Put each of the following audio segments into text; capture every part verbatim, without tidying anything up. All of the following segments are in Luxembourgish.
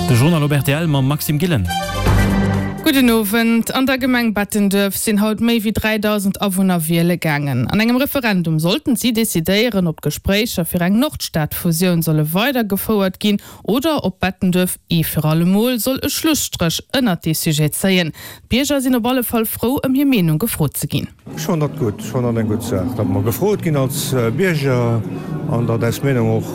De Journal op rtl mam Maxime Gillen. Gudden Owend. An der Gemeng Bettenduerf sinn haut méi wéi dräidausend Awunner wiele gaangen. An engem Referendum sollten si decidéieren, ob d'Gespréicher fir eng Nordstad-Fusioun solle weidergefouert ginn oder ob Bettenduerf ee fir alle Mol soll e Schlusstréch ënnert dee Sujet zéien. D'Bierger sinn op alle Fall frou, ëm hir Meenung gefrot ze ginn. Ech fannen dat gutt. Ech fannen dat eng gutt Saach, datt mer gefrot ginn als Bierger an datt eis Meenung och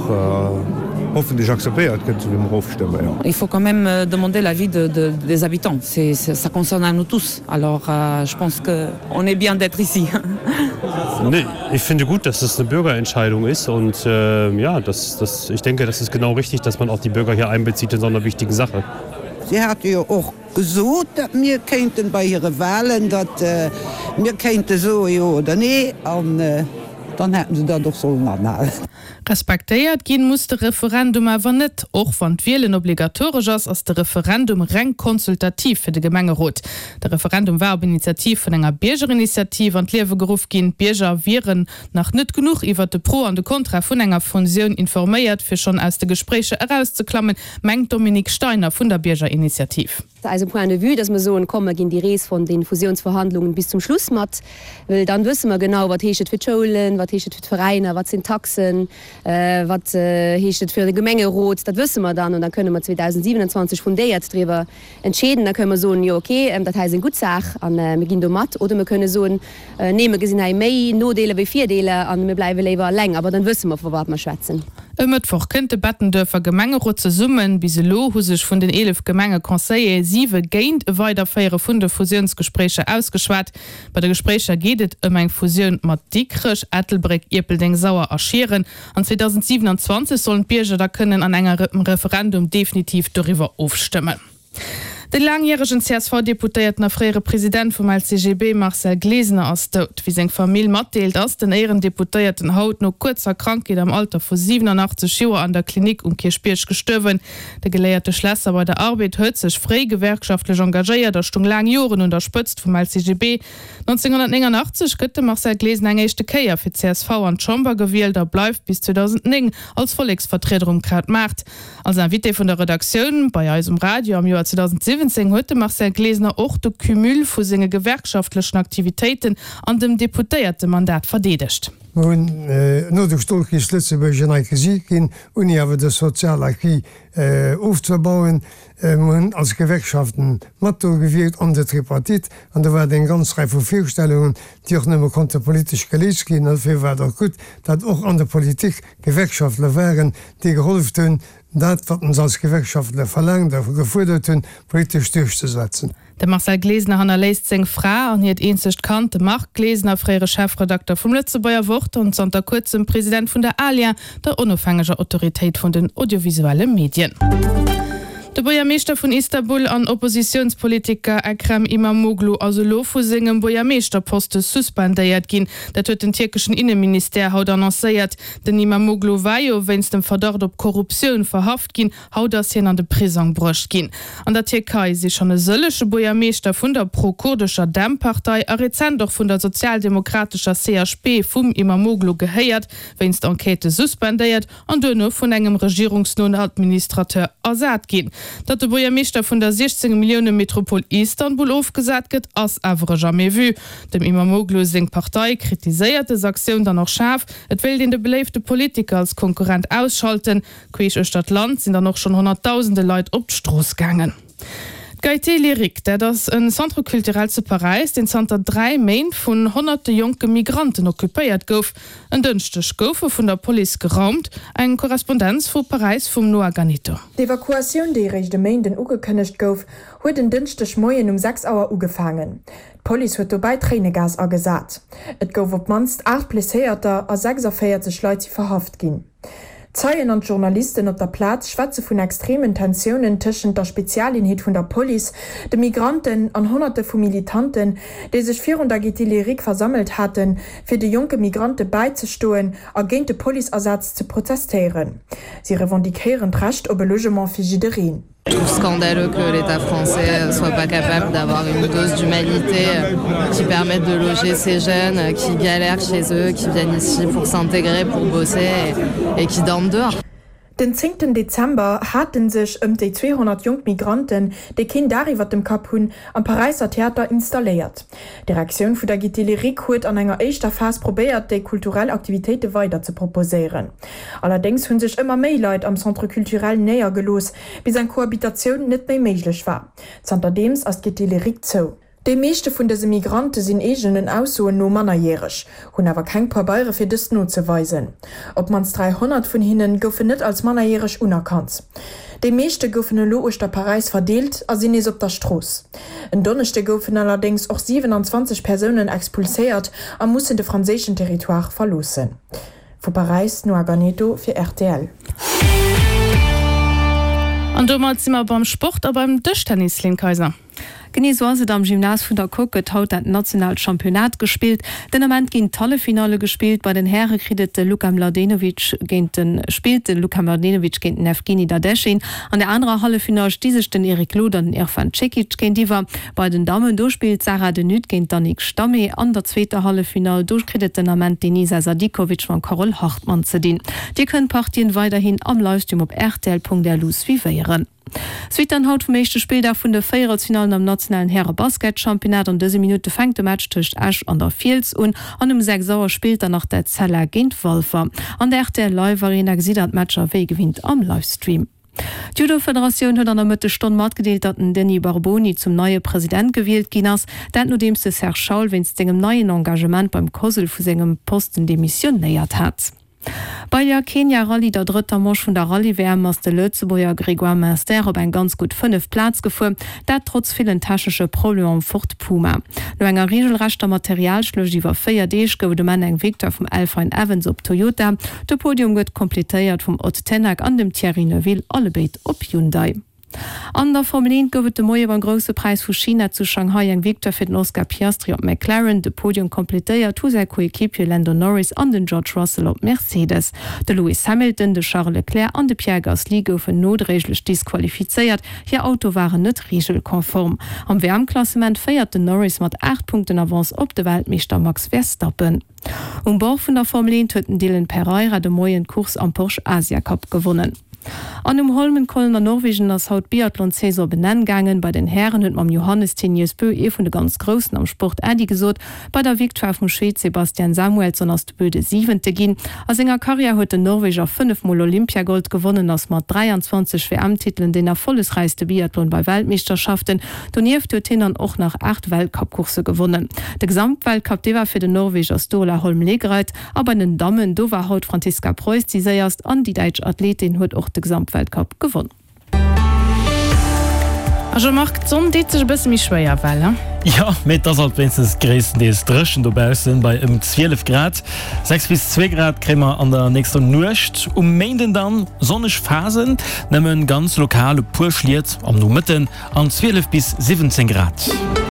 hoffentlech akzeptéiert gëtt, esou wéi mer ofstëmmen, jo. Il faut quand même demander l'avis de, de, des habitants. C'est, ça concerne à nous tous. Alors euh, je pense que on est bien d'être ici. Nee, ich finde gut, dass es eine Bürgerentscheidung ist und äh, ja, das, das, ich denke, das ist genau richtig, dass man auch die Bürger hier einbezieht in so einer wichtigen Sache. Si hate jo och gesot, datt mir kéinten bei hire Wahlen, datt mir kéinte soe jo oder nee, an dann hätten se dat och sollen anhalen. Respektéiert ginn muss de Referendum awer net. Och wann d'Wielen obligatoresch ass, ass de Referendum reng konsultativ fir de Gemengerot. De Referendum war op Initiativ vun enger Biergerinitiativ an d'Liewe geruff ginn. D'Bierger wieren nach net genuch iwwert de Pro an de Kontra vun enger Fusioun informéiert, fir schonn aus de Gespréicher erauszeklammen, mengt d'Dominique Steiner vun der Biergerinitiativ. Eise Point de vue, dass mer soen, komm, mer ginn déi Rees vun de Fusiounsverhandlungen bis zum Schluss mat, well dann wësse mer genau, wat heescht et fir d'Schoulen, wat heescht et fir d'Veräiner, wat sinn d'Taxen, wat heescht et fir de Gemengerot, dat wësse mer dann an da kënne mer zweedausendsiewenundzwanzeg fundéiert driwwer entscheeden. Da kënne mer soen, jo okay, dat hei ass eng gutt Saach a mir ginn do mat, oder mer kënne soen, nee, mer gesinn hei méi Nodeeler wéi Virdeeler a mir bleiwe léiwer eleng, awer dann wësse mer, vu wat mer schwätzen. E Mëttwoch kënnt de Bettenduerfer Gemengerot zesummen. Bis elo hu sech vun den eelef Gemengeconseiller siwe géint e Weiderféiere vun de Fusiounsgespréicher ausgeschwat. Bei de Gespréicher geet et ëm eng Fusioun mat Dikrech, Ettelbréck, Ierpeldeng, Sauer a Schieren. An zweedausendsiewenundzwanzeg sollen d'Bierger da kënnen an engem Referendum definitiv doriwwer ofstëmmen. De laangjäregen C S V-Deputéierten a fréiere President vum L C G B Marcel Glesener ass dout. Wéi seng Famill matdeelt, ass den Éierendeputéierten haut no kuerzer Krankheet am Alter vu siwenanachtzeg Joer an der Klinik um Kierchbierg gestuerwen. De geléierte Schlässer bei der Arbed huet sech fréi gewerkschaftlech engagéiert a stung laang Joren un der Spëtzt vum L C G B. nonzénghonnertnéngannachtzeg gëtt de Marcel Glesener eng éischte Kéier fir d'C S V an d'Chamber gewielt a bleift bis zweedausendzéng als Volleksvertrieder um Krautmaart. Als Invité vun der Redaktioun bei eis um Radio am Joer zweedausendsiewen huet de Marcel Glesener och de Cumul vu senge gewerkschaftlechen Aktivitéiten an dem Deputéiertemandat verdeedegt. Mir hunn no de Stolkrich Lëtzebuerg en neit Gesiicht ginn, ouni awer de soziale Acquis ofzebauen. Mir hunn als Gewerkschaften mat do gewierkt an der Tripartite, an do war et eng ganz Rei vu Virstellungen, déi och nëmme konnte politesch geléist ginn. An dofir war et och gutt, datt och an der Politik Gewerkschaftler waren, déi geholleft hunn, dat, wat ons als Gewerkschaftler verlaangt a gefuerdert hunn, politesch duerchzesetzen. De Marcel Glesener hannerléisst seng Fra an hiert eenzegt Kand, de Marc Glesener, fréiere Chefredakter vum Lëtzebuerger Wort an zanter kuerzem President vun der ALIA, der onofhängeger Autoritéit vun den audiovisuelle Medien. De Buergermeeschter vun Istanbul an Oppositiounspolitiker Ekrem Imamoglu ass elo vu sengem Buergermeeschterposte suspendéiert ginn. Dat huet den tierkeschen Inneministère haut annoncéiert. Den Imamoglu war jo wéinst dem Verdacht op Korruptioun verhaft ginn. Haut ass hien an de Prisong bruecht ginn. An der Tierkei si schonn e sëllege Buergermeeschter vun der pro-kurdescher DEM-Partei a rezent och vun der sozialdemokratescher C H P vum Imamoglu gehéiert, wéinst Enquêtë suspendéiert an duerno vun engem regierungsnoen Administrateur ersat ginn. Datt de Buergermeeschter vun der siechzéng Millioune Metropol Istanbul ofgesat gëtt, ass awer e Jamais vu. Dem Imamoglu seng Partei kritiséiert dës Aktioun dann och schaarf. Et wéilt een de beléifte Politiker als Konkurrent ausschalten. Queesch uechter d'Land sinn dann och schonn honnertdausende Leit op d'Strooss gaangen. D'Gaîté Lyrique, dat ass e Centre culturel zu Paräis, deen zanter dräi Méint vun honnerte jonke Migranten occupéiert gouf. En Dënschdeg gouf e vun der Police geraumt. Eng Korrespondenz vu Paräis vum Noa Ganito. D'Evakuatioun, déi eréischt e Méinden ugekënnegt gouf, huet en Dënschdeg Moien um sechs Auer ugefaangen. D'Police huet dobäi Tréinegas agesat. Et gouf op d'mannst aacht Blesséierter a sechsavéierzeg Leit si verhaft ginn. Zeien an Journalisten op der Plaz schwätze vun extremen Tensiounen tëschent der Spezialeenheet vun der Police, de Migranten an Honnerte vu Militanten, déi sech virun der Gaîté Lyrique versammelt haten, fir de jonke Migrante bäizestoen a géint de Policeasaz ze protestéieren. Si revendiquéieren d'Recht op e Logement fir jiddereen. Je trouve scandaleux que l'État français soit pas capable d'avoir une dose d'humanité qui permette de loger ces jeunes qui galèrent chez eux, qui viennent ici pour s'intégrer, pour bosser et, et qui dorment dehors. Den zéngten Dezember hate sech ëm déi zweehonnert jonk Migranten, déi keen Daach iwwer dem Kapp hunn, am Paräisser Theater installéiert. D'Direktioun vu der Gaîté Lyrique huet an enger éischter Phas probéiert, déi kulturell Aktivitéite weider ze proposéieren. Allerdéngs hu sech ëmmer méi Leit am Centre culturel néiergelooss, bis eng Kohabitatioun net méi méiglech war. Zanterdeems ass d'Gaîté Lyrique zou. Déi meeschte vun dëse Migrante sinn eegenen Aussoen no mannerjäreg, hunn awer keng Pabeiere fir dëst nozeweisen. Op d'mannst dräihonnert vun hinne goufen net als mannerjäreg unerkannt. Déi meeschte goufen elo uechter Paräis verdeelt a sinn nees op der Strooss. En Donneschde goufen allerdéngs och siwenanzwanzeg Persounen expulséiert a mussen de franséischen Territoire verloossen. Vu Paräis, Noa Ganeto fir rtl. An domat si mer beim Sport a beim Dëschtennis, Lynn Kayser. Genee sou ass et, Am Gymnase vun der Coque gëtt haut dat nationaalt Championnat gespillt. Den Ament ginn d'Halleffinalle gespillt. Bei den Häre kritt et de Luka Mladenovic géint de spillt de Luka Mladenovic géint den Evgeny Dadechin. An der anerer Halleffinall sti sech den Eric Lod an den Irfan Cekic géintiwwer. Bei den Dammen do spillt d'Sarah de Nutte géint d'Annick Stamé. An der zweeter Halleffinall do kritt et den Ament d'Enisa Sadikovic mam Carole Hartmann ze dinn. Dir kënnt d'Partien weiderhin am Livestream op rtl.lu suivéieren. Suite dann haut vum éischte Spilldag vun de Véierelsfinallen am nationalen Häre-Basketchampionnat. An dëse Minutte fänkt de Match tëscht Esch an der Fiels un an um sechs Auer spillt dann nach d'Etzella géint Walfer. An der rtl Live Arena gesitt der d'Matcher wéi gewinnt am Livestream. D'Judo-Federatioun huet an der Mëttesstonn matgedeelt, datt den Denis Barboni zum neie President gewielt ginn ass. Dat nodeems de Serge Schaul wéinst sengem neien Engagement beim COSL vu sengem Posten demissionéiert hat. Bei der Kenia Rallye, der drëtter Manche vun der Rallye-W M, ass de Lëtzebuerger Grégoire Munster op eng ganz gutt fënneft Plaz gefuer, dat trotz villen technesche Problemer am Ford Puma. No enger reegelrechter Materialschluecht iwwer véier Deeg gouf et um Enn eng Victoire vum Elfyn Evans op Toyota. De Podium gëtt kompletéiert vum Ott Tänak an dem Thierry Neuville, allebéid op Hyundai. An der Formel eent gouf et de Moie beim Grousse Präis vu China zu Shanghai eng Victoire fir den Oscar Piastri op McLaren. De Podium completéiert hu säi Coequipier Lando Norris an den George Russell op Mercedes. De Lewis Hamilton, de Charles Leclerc an de Pierre Gasly goufen nodréiglech disqualifizéiert, hir Auto waren net reegelkonform. Am W M-Klassement féiert den Norris mat aacht Punkten Avance op de Weltmeeschter Max Verstappen. Um Bord vun der Formel eent huet den Dylan Pereira de Moien d'Course am Porsche Asia Cup gewonnen. An um Holmenkollen an Norwegen ass haut d'Biathlon-Saison op en Enn gaangen. Bei den Hären huet mam Johannes Thingnes Bö ee vun de ganz Groussen am Sport Äddi gesot. Bei der Victoire vum Schwed Sebastian Samuelsson ass de Bö de Siwente ginn. A senger Karriär huet den Norweger fënnef Mol Olympiagold gewonnen, ass mat dräianzwanzeg W M-Titelen deen erfollegsräichste Biathlon bei Weltmeeschterschaften. Donieft huet hien dann och nach aacht Weltcup-Coursse gewonnen. De Gesamtweltcup, dee war fir den Norweger Sturla Holm Lægreid. A bei den Dammen, do war haut d'Franziska Preuß déi séierst an déi däitsch Athletin huet och de Gesamtweltcup gewonn. A Jean-Marc, d'Sonn deet sech e bësse méi schwéier well, he? Jo, mee et ass alt wéinstens gréisstendeels dréchen dobaussen, bei ëm zwielef Grad. Sechs bis zwee Grad kréie mer an der nächster Nuecht. Um Méinden dann sonneg Phasen, nëmme ganz lokal e puer Schliet am Nomëtten an zwielef bis siwwenzéng Grad.